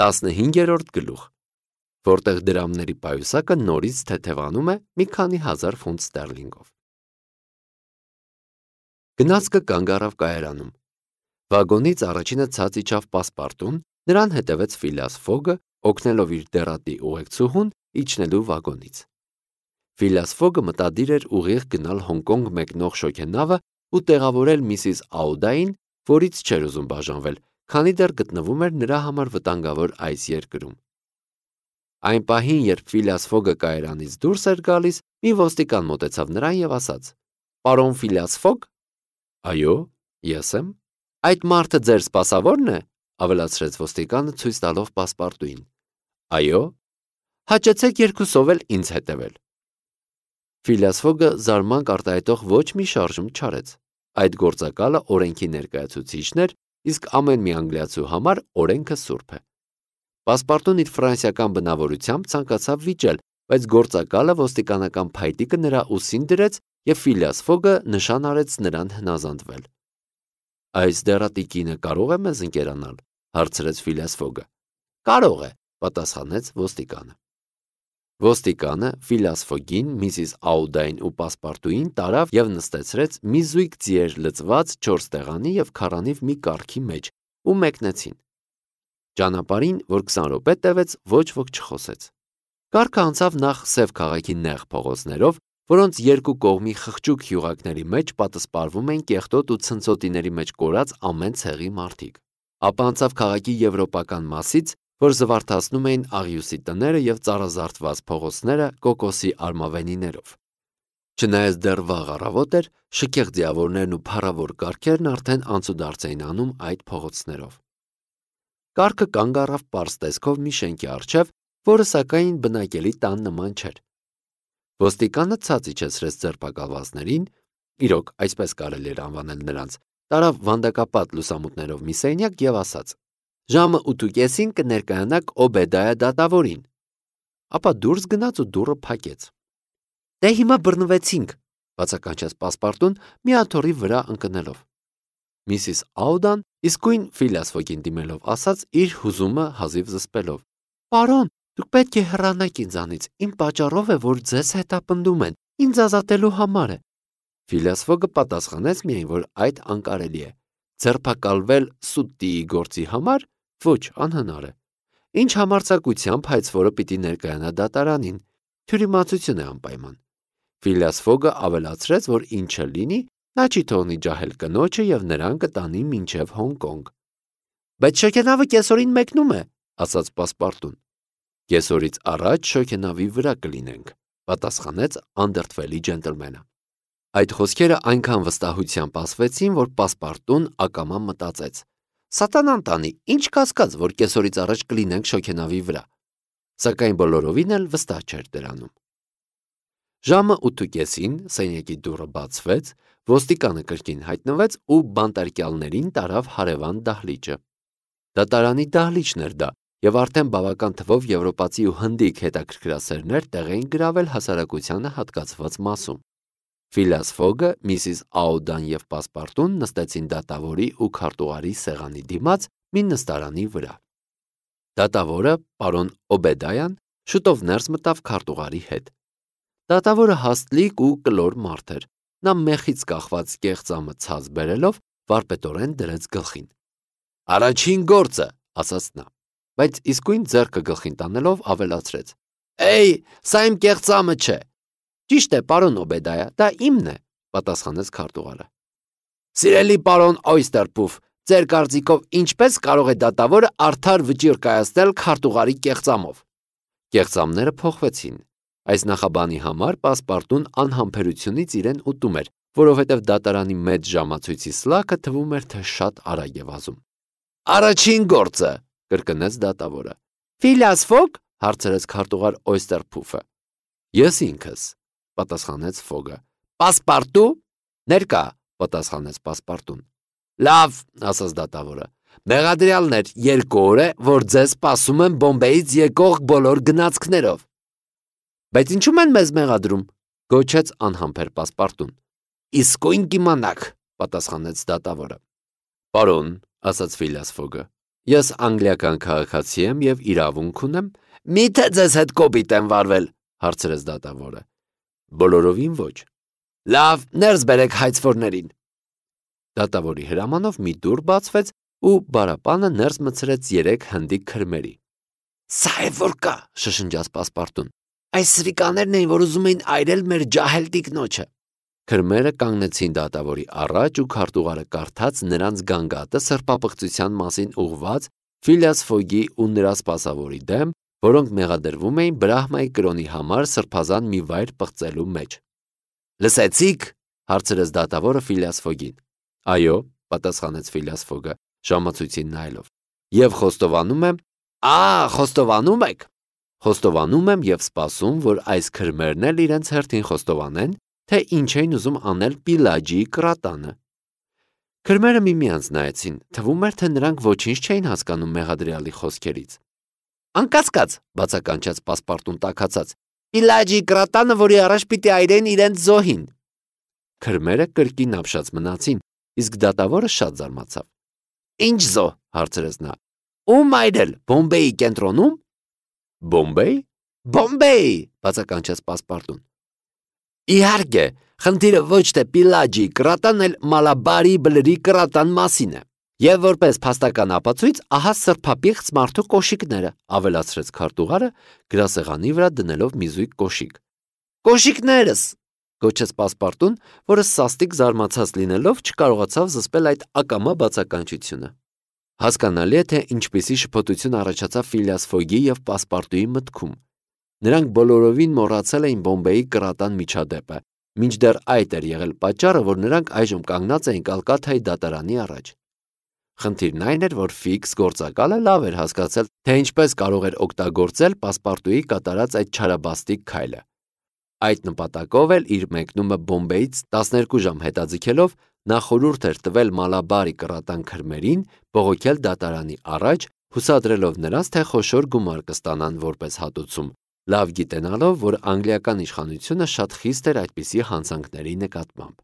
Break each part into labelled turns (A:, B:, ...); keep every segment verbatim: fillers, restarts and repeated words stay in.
A: տասնհինգերորդ գլուխ, որտեղ դրամների պայուսակը նորից թեթևանում է մի քանի հազար ֆունտ ստերլինգով։ Գնացքը կանգ առավ կայարանում։ Վագոնից առաջինը ցած իջավ Պասպարտուն, նրան հետևեց Ֆիլիաս Ֆոգը, օգնելով իր դեռատի ուղեկցուհուն իջնելու վագոնից։ Ֆիլիաս Ֆոգը մտադիր էր ուղիղ գնալ Հոնկոնգ մեկնող շոգենավը ու տեղավորել միսիս Աուդային, որից չէր ուզում բաժանվել, քանի դեռ գտնվում էր նրա համար վտանգավոր այս երկրում։ Այն պահին, երբ Ֆիլիաս Ֆոգը կայարանից դուրս էր գալիս, մի ոստիկան մոտեցավ նրան եւ ասաց. «Պարոն Ֆիլիաս Ֆոգ»։ «Այո, ես եմ»։ «Այդ մարդը ձեր սպասավորն է», ավելացրեց ոստիկանը ցույց տալով Պասպարտուին։ «Այո»։ «Հաճեցեք երկուսով էլ ինձ հետևել»։ Ֆիլիաս Ֆոգը զարմանք արտահայտող ոչ մի շարժում չարեց։ Այդ գործակալը օրենքի ներկայացուցիչն էր, իսկ ամեն մի անգլիացու համար օրենքը սուրբ է։ Պասպարտուն իր ֆրանսիական բնավորությամբ ցանկացավ վիճել, բայց գործակալը ոստիկանական փայտիկը նրա ուսին դրեց եւ Ֆիլիաս Ֆոգը նշան արեց նրան հնազանդվել։ «Այս դեռատի կինը կարող է մեզ ընկերանալ», հարցրեց Ֆիլիաս Ֆոգը։ «Կարող է», պատասխանեց ոստիկանը։ Ոստիկանը Ֆիլիաս Ֆոգին, միսիս Աուդային ու Պասպարտուին տարավ եւ նստեցրեց մի զույգ ձիեր լցված չորս տեղանի եւ քառանիվ մի կառքի մեջ ու մեկնեցին։ Ճանապարհին, որ քսան րոպե տևեց, ոչ ոք չխոսեց։ Կառքը անցավ նախ Սև քաղաքի նեղ փողոցներով, որոնց երկու կողմի խղճուկ հյուղակների մեջ պատսպարվում էին կեղտոտ ու ցնցոտիների մեջ կորած ամեն ցեղի մարդիկ։ Ապա անցավ քաղաքի եվրոպական մասից, որ զվարթացնում էին աղյուսի տները եւ ծառազարդված փողոցները կոկոսի արմավենիներով։ Չնայած դեռ վաղ առավոտ էր, շքեղ ձիավորներն ու փառավոր կառքերն արդեն անցուդարձ էին անում այդ փողոցներով։ Կառքը կանգ առավ պարզ տեսքով մի շենքի առջև, որը սակայն բնակելի տան նման չէր։ Ոստիկանը ցած իջեցրեց ձերբակալվածներին, իրոք այսպես կարելի էր անվանել նրանց, տարավ վանդակապատ լուսամուտներով մի սենյակ եւ ասաց. «Ժամը ութ ու կեսին կներկայանաք Օբեդայա դատավորին»։ Ապա դուրս գնաց ու դուռը փակեց։ «Դե հիմա բռնվեցինք», բացականչեց Պասպարտուն մի աթոռի վրա ընկնելով։ Միսիս Աուդան իսկույն Ֆիլիաս Ֆոգին դիմելով ասաց իր հուզումը հազիվ զսպելով. «Պարոն, դուք պետք է հեռանաք ինձանից, իմ պատճառով է, որ ձեզ հետապնդում են, ինձ ազատելու համար է»։ Ֆիլիաս Ֆոգը պատասխանեց միայն, որ այդ անկարելի է։ Ձերբակալվել սուտտիի գործի համար ոչ անհնար է։ Ինչ համարձակությամբ հայցվորը պիտի ներկայանա դատարանին, թյուրիմացություն է անպայման։ Ֆիլիաս Ֆոգը ավելացրեց, որ ինչը լինի, նա չի թողնի ջահել կնոջը եւ նրան կտանի մինչեւ Հոնկոնգ։ «Բայց շոգենավը կեսօրին մեկնում է», ասաց Պասպարտուն։ «Կեսօրից առաջ շոգենավի վրա կլինենք», պատասխանեց անդրդվելի ջենտլմենը։ Այդ խոսքերը այնքան վստահությամբ ասվեցին, որ Պասպարտուն ակամա մտածեց. «Սատանան տանի, ինչ կասկած, որ կեսօրից առաջ կլինենք շոգենավի վրա»։ Սակայն բոլորովին էլ վստահ չէր դրանում։ Ժամը ութ ու կեսին սենյակի դուռը բացվեց, ոստիկանը կրկին հայտնվեց ու բանտարկյալներին տարավ հարևան դահլիճը։ Դատարանի դահլիճն էր դա, եւ արդեն բավական թվով եվրոպացի ու հնդիկ հետաքրքրասերներ տեղ էին գրավել հասարակությանը հատկացված մասում։ Ֆիլիաս Ֆոգը, միսիս Աուդան եւ Պասպարտուն նստեցին դատավորի ու քարտուղարի սեղանի դիմաց մի նստարանի վրա։ Դատավորը, պարոն Օբեդայան, շուտով ներս մտավ քարտուղարի հետ։ Դատավորը հաստլիկ ու կլոր մարդ էր։ Նա մեխից կախված կեղծամը ցած բերելով վարպետորեն դրեց գլխին։ «Առաջին գործը», ասաց նա, բայց իսկույն ձեռքը գլխին տանելով ավելացրեց. «Էյ, սա իմ կեղծամը չէ»։ «Ճիշտ է, պարոն Օբեդայա, դա իմն է», պատասխանեց քարտուղարը։ «Սիրելի պարոն Օյստերփուֆ, ձեր կարծիքով ինչպես կարող է դատավորը արդար վճիռ կայացնել քարտուղարի կեղծամով»։ Կեղծամները փոխվեցին։ Այս նախաբանի համար Պասպարտուն անհամբերությունից իրեն ուտում էր, որովհետև դատարանի մեծ ժամացույցի սլաքը թվում էր, թե շատ արագ է վազում։ «Առաջին գործը», կրկնեց դատավորը։ «Ֆիլիաս Ֆոգ», հարցրեց քարտուղար Օյստերփուֆը։ «Ես ինքս», պատասխանեց Ֆոգը։ «Պասպարտու»։ «Ներկա», պատասխանեց Պասպարտուն։ «Լավ», ասաց դատավորը։ «Մեղադրյալներ, երկու օր է, որ ձեզ սպասում են Բոմբեից եկող բոլոր գնացքներով»։ «Բայց ինչու՞ են մեզ մեղադրում», գոչեց անհամբեր Պասպարտուն։ «Իսկույն կիմանաք», պատասխանեց դատավորը։ «Պարոն», ասաց Ֆիլիաս Ֆոգը, Ես անգլիական քաղաքացի եմ եւ իրավունք ունեմ։ Միթե ձեզ հետ կոպիտ եմ վարվել, հարցրեց դատավորը։ Բոլորովին ոչ։ Լավ, ներս բերեք հայցվորներին։ Դատավորի հրամանով մի դուռ բացվեց ու բարապանը ներս մտցրեց երեք հնդիկ քրմերի։ Սա է որ կա, շշնջաց պասպարտուն։ Այս սրիկաներն էին, որ ուզում էին այրել մեր ջահել տիկնոջը։ Քրմերը կանգնեցին դատավորի առաջ ու քարտուղարը կարդաց նրանց գանգատը սրբապղծության մասին ուղված Ֆիլիաս Ֆոգի ու նրա սպասավորի դեմ, որոնք մեղադրվում էին Բրահմայի կրոնի համար սրբազան մի վայր պղծելու մեջ։ Լսեցի՞ք, հարցրեց դատավորը Ֆիլիաս Ֆոգին։ Այո, պատասխանեց Ֆիլիաս Ֆոգը, ժամացույցին նայելով։ Եվ խոստովանում եմ, Ա, խոստովանում եք։ Խոստովանում եմ եւ սպասում, որ այս քրմերն էլ իրենց հերթին խոստովանեն, թե ինչ էին ուզում անել Պիլաջիի կրատանը։ Քրմերը միմյանց նայեցին, թվում էր, թե նրանք ոչինչ չէին հասկանում մեղադրյալի խոսքերից։ Անկասկած, բացականչեց պասպարտուն տաքացած, Պիլաջիի կրատանը, որի առաջ պիտի այրեն իրենց զոհին։ Քրմերը կրկին ապշած մնացին, իսկ դատավորը շատ զարմացավ։ Ինչ զոհ, հարցրեց նա։ Ում այրել, Բոմբեի կենտրոնում։ Բոմբեի։ Բոմբեի, բացականչեց պասպարտուն։ Իհարկե, խնդիրը ոչ թե Պիլաջիի կրատան, այլ Մալաբարի բլրի կրատան մասին է։ Եվ որպես փաստական ապացույց, ահա սրբապիղծ մարդու կոշիկները, ավելացրեց քարտուղարը, գրասեղանի վրա դնելով մի զույգ կոշիկ։ Կոշիկներս, գոչեց պասպարտուն, որը սաստիկ զարմացած լինելով չկարողացավ զսպել այդ ակամա բացականչությունը։ Հասկանալի է, թե ինչպիսի շփոթություն առաջացավ Ֆիլիաս Ֆոգի եւ պասպարտուի մտքում։ Նրանք բոլորովին մոռացել էին Բոմբեի կրատան միջադեպը, մինչդեռ այդ էր եղել պատճառը, որ նրանք այժմ կանգնած էին Կալկաթայի դատարանի առաջ։ Խնդիրն այն էր, որ ֆիքս գործակալը լավ էր հասկացել, թե ինչպես կարող էր օգտագործել պասպարտուի կատարած այդ չարաբաստիկ քայլը։ Այդ նպատակով էլ իր մեկնումը Բոմբեից տասներկու ժամ հետաձգելով նա խորհուրդ էր տվել Մալաբարի կրատան քրմերին բողոքել դատարանի առաջ, հուսադրելով նրանց, թե խոշոր գումար կստանան որպես հատուցում, լավ գիտենալով, որ անգլիական իշխանությունը շատ խիստ էր այդպիսի հանցանքների նկատմամբ։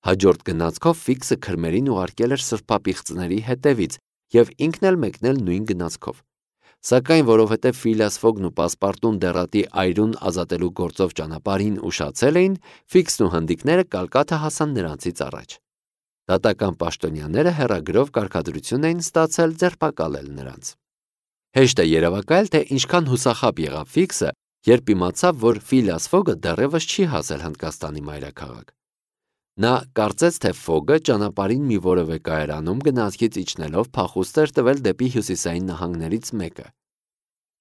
A: Հաջորդ գնացքով ֆիքսը քրմերին ուղարկել էր սրբապիղծների հետևից եւ ինքն էլ մեկնել նույն գնացքով։ Սակայն որովհետև Ֆիլիաս Ֆոգն ու պասպարտուն դեռատի այրուն ազատելու գործով ճանապարհին ուշացել էին, ֆիքսն ու հնդիկները Կալկաթա հասան նրանցից առաջ։ Դատական պաշտոնյաները հեռագրով կարգադրություն էին ստացել ձերբակալել նրանց։ Հեշտ է երևակայել, թե ինչքան հուսախաբ եղավ ֆիքսը, երբ իմացավ, որ Ֆիլիաս Ֆոգը դեռևս չի հասել Հնդկաստանի մայրաքաղաք։ Նա կարծեց, թե Ֆոգը ճանապարհին մի որևէ կայարանում գնացքից իջնելով փախուստ էր տվել դեպի հյուսիսային նահանգներից մեկը։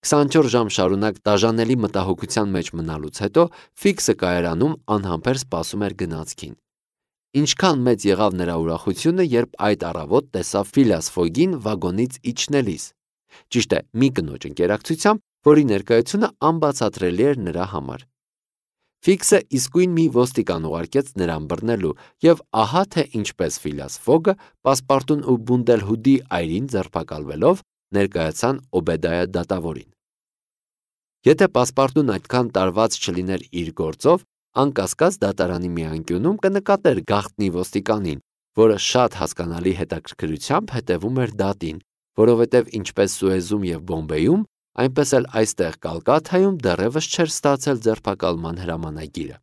A: քսանչորս ժամ շարունակ դաժանելի մտահոգության մեջ մնալուց հետո ֆիքսը կայարանում անհամբեր սպասում էր գնացքին։ Ինչքան մեծ եղավ նրա ուրախությունը, երբ այդ առավոտ տեսավ Ֆիլիաս Ֆոգին վագոնից իջնելիս։ Ճիշտ է, մի կնոջ ընկերակցությամբ, որի ներկայությունը անբացատրելի էր նրա համար։ Ֆիքսը իսկույն մի ոստիկան ուղարկեց նրան բռնելու, եւ ահա թե ինչպես Ֆիլիաս Ֆոգը պասպարտուն ու Բունդելհուդի այրին ձերբակալվելով ներկայացան Օբեդայա դատավորին։ Եթե պասպարտուն այդքան տարված չլիներ իր գործով, անկասկած դատարանի մի անկյունում կնկատեր գաղտնի ոստիկանին, որը շատ հասկանալի հետաքրքրությամբ հետևում էր դատին, որովհետև ինչպես Սուեզում եւ Բոմբեյում, այնպես էլ այստեղ Կալկաթայում դեռևս չէր ստացել ձերբակալման հրամանագիրը։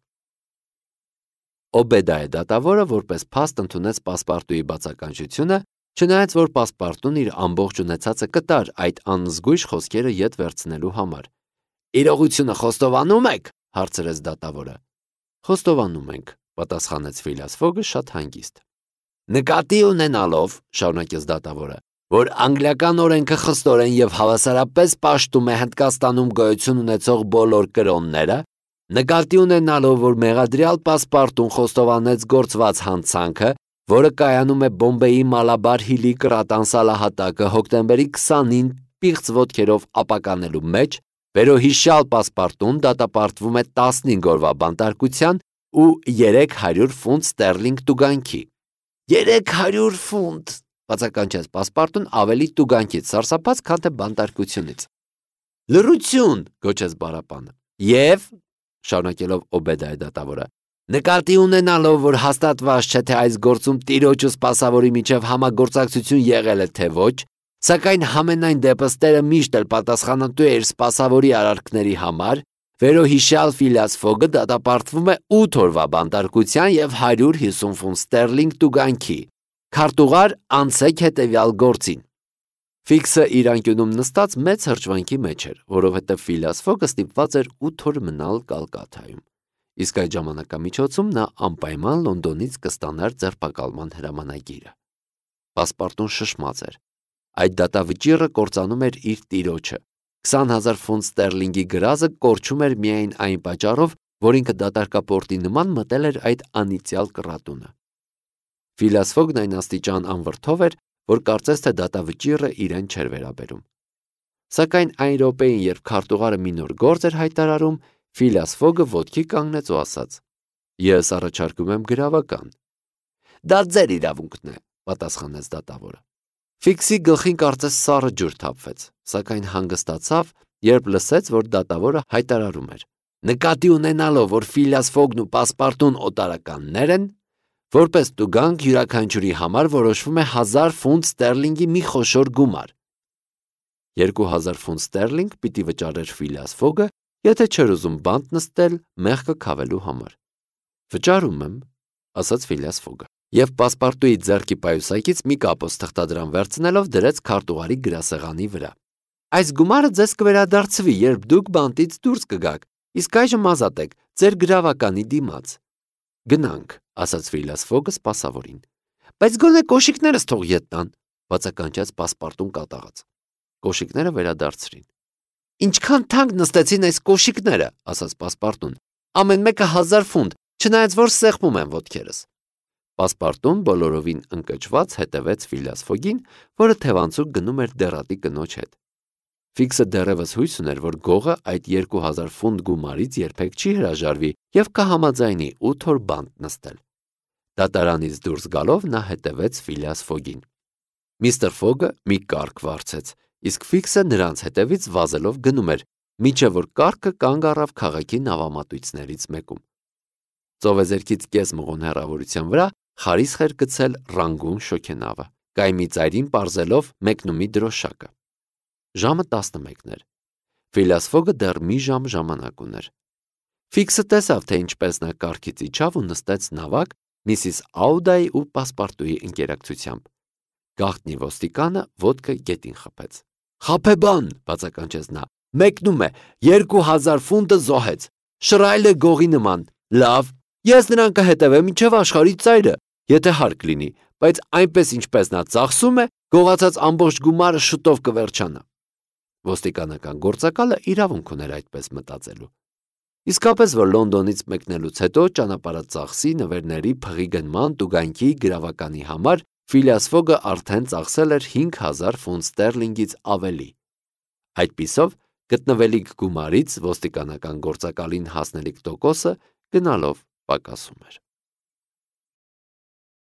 A: Օբեդայա դատավորը որպես փաստ ընդունեց պասպարտուի բացականչությունը, չնայած որ պասպարտուն իր ամբողջ ունեցածը կտար այդ անզգույշ խոսքերը ետ վերցնելու համար։ Իրողությունը խոստովանում եք, հարցրեց դատավորը։ Խոստովանում ենք, պատասխանեց Ֆիլիաս Ֆոգը շատ հանգիստ։ Նկատի ունենալով, շարունակեց դատավորը, որ անգլիական օրենքը խստորեն եւ հավասարապես պաշտում է Հնդկաստանում գոյություն ունեցող բոլոր կրոնները, նկատի ունենալով, որ մեղադրյալ պասպարտուն խոստովանեց գործված հանցանքը, որը կայանում է Բոմբեի Մալաբար հիլի կրատան սալահատակը հոկտեմբերի քսանին պիղծ ոտքերով ապականելու մեջ, վերոհիշյալ պասպարտուն դատապարտվում է տասնհինգ օրվա բանտարկության ու երեք հարյուր ֆունտ ստերլինգ տուգանքի։ Երեք հարյուր ֆունտ, բացականչեց պասպարտուն ավելի տուգանքից սարսափած, քան թե բանտարկությունից։ Լռություն, գոչեց բարապանը։ Եվ, շարունակելով Օբեդայա դատավորը, նկատի ունենալով, որ հաստատված չէ, թե այս գործում տիրոջ ու սպասավորի միջև համագործակցություն եղել է թե ոչ, Սակայն համենայն դեպս Տերը միշտ էլ պատասխանատու է իր սպասավորի արարքների համար, վերոհիշյալ Ֆիլիաս Ֆոգը դատապարտվում է ութ օրվա բանտարկության և հարյուր հիսուն ֆունտ ստերլինգ տուգանքի։ Քարտուղար անցեք հետևյալ գործին։ Ֆիքսը իր անկյունում նստած մեծ հրճվանքի մեջ էր, որովհետև Ֆիլիաս Ֆոգը ստիպված էր ութ օր մնալ Կալկաթայում։ Իսկ այդ ժամանակամիջոցում նա անպայման Լոնդոնից կստանար ձերբակալման հրամանագիրը։ Պասպարտուն շշմած էր։ Այդ դատավճիռը կործանում էր իր տիրոջը։ քսան հազար ֆունտ ստերլինգի գրազը կորչում էր միայն այն պատճառով, որ ինքը դատարկապորտի նման մտել էր այդ անիծյալ կռատունը։ Ֆիլիաս Ֆոգն այն աստիճան անվրդով էր, որ կարծես թե դատավճիռը իրեն չէր վերաբերում։ Սակայն այն րոպեին, երբ քարտուղարը մի նոր գործ էր հայտարարում, Ֆիլիաս Ֆոգը ոտքի կանգնեց ու ասաց. «Ես առաջարկում եմ գրավական»։ «Դա ձեր իրավունքն է», պատասխանեց դատավորը։ Ֆիքսի գլխին կարծես սառը ջուր թափվեց, սակայն հանգստացավ, երբ լսեց, որ դատավորը հայտարարում էր. «Նկատի ունենալով, որ Ֆիլիաս Ֆոգն ու Պասպարտուն օտարականներ են, որպես տուգանք յուրաքանչյուրի համար որոշվում է հազար ֆունտ ստերլինգի մի խոշոր գումար»։ Երկու հազար ֆունտ ստերլինգ պիտի վճարեր Ֆիլիաս Ֆոգը, եթե չէր ուզում բանտ նստել մեղքը քավելու համար։ «Վճարում եմ», ասաց Ֆիլիաս Ֆոգը, և Պասպարտուի ձեռքի պայուսակից մի կապոց թղթադրամ վերցնելով դրեց քարտուղարի գրասեղանի վրա։ «Այս գումարը ձեզ կվերադարձվի, երբ դուք բանտից դուրս կգաք, իսկ այժմ ազատ եք ձեր գրավականի դիմաց»։ «Գնանք», ասաց Ֆիլիաս Ֆոգը սպասավորին։ «Բայց գոնե կոշիկներս թող ետ տան», բացականչեց Պասպարտուն կատաղած։ Կոշիկները վերադարձրին։ «Ինչքան թանկ նստեցին այս կոշիկները», ասաց Պասպարտուն։ «Ամեն մեկը հազար ֆունտ, չնայած որ սեղմում եմ ոտքերս»։ Պասպարտուն բոլորովին ընկճված հետևեց Ֆիլիաս Ֆոգին, որը թևանցուկ գնում էր դեռատի կնոջ հետ։ Ֆիքսը դեռևս հույս ուներ, որ գողը այդ երկու հազար ֆունտ գումարից երբեք չի հրաժարվի և կհամաձայնի ութ օր բանտ նստել։ Դատարանից դուրս գալով նա հետևեց Ֆիլիաս Ֆոգին։ Միստր Ֆոգը մի կառք վարձեց, իսկ Ֆիքսը նրանց հետևից վազելով գնում էր, մինչև որ կառքը կանգ առավ քաղաքի նավամատույցներից մեկում։ Ծովեզերքից կես մղոն հեռավորության վրա խարիսխ էր գցել Ռանգուն շոգենավը, կայմի ծայրին պարզելով մեկնումի դրոշակը։ Ժամը տասնմեկն էր։ Ֆիլիաս Ֆոգը դեռ մի ժամ ժամանակ ուներ։ Ֆիքսը տեսավ, թե ինչպես նա կառքից իջավ ու նստեց նավակ Միսիս Աուդայի ու Պասպարտուի ընկերակցությամբ։ Գաղտնի ոստիկանը ոտքը գետին խփեց։ «Խաբեբան», բացականչեց նա, «մեկնում է, երկու հազար ֆունտը զոհեց, շռայլ է գողի նման, լավ, ես նրան կհետևեմ մինչև աշխարհի ծայրը, եթե հարկ լինի, բայց այնպես ինչպես նա ծախսում է, գողացած ամբողջ գումարը շուտով կվերջանա»։ Ոստիկանական գործակալը իրավունք ուներ այդպես մտածելու։ Իսկապես, որ Լոնդոնից մեկնելուց հետո ճանապարհածախսի, նվերների, փղի գնման, տուգանքի, գրավականի համար Ֆիլիաս Ֆոգը արդեն ծախսել էր հինգ հազար ֆունտ ստերլինգից ավելի։ Այդպիսով գտնվելիք գումարից ոստիկանական գործակալին հասնելիք տոկոսը գնալով պակասում էր։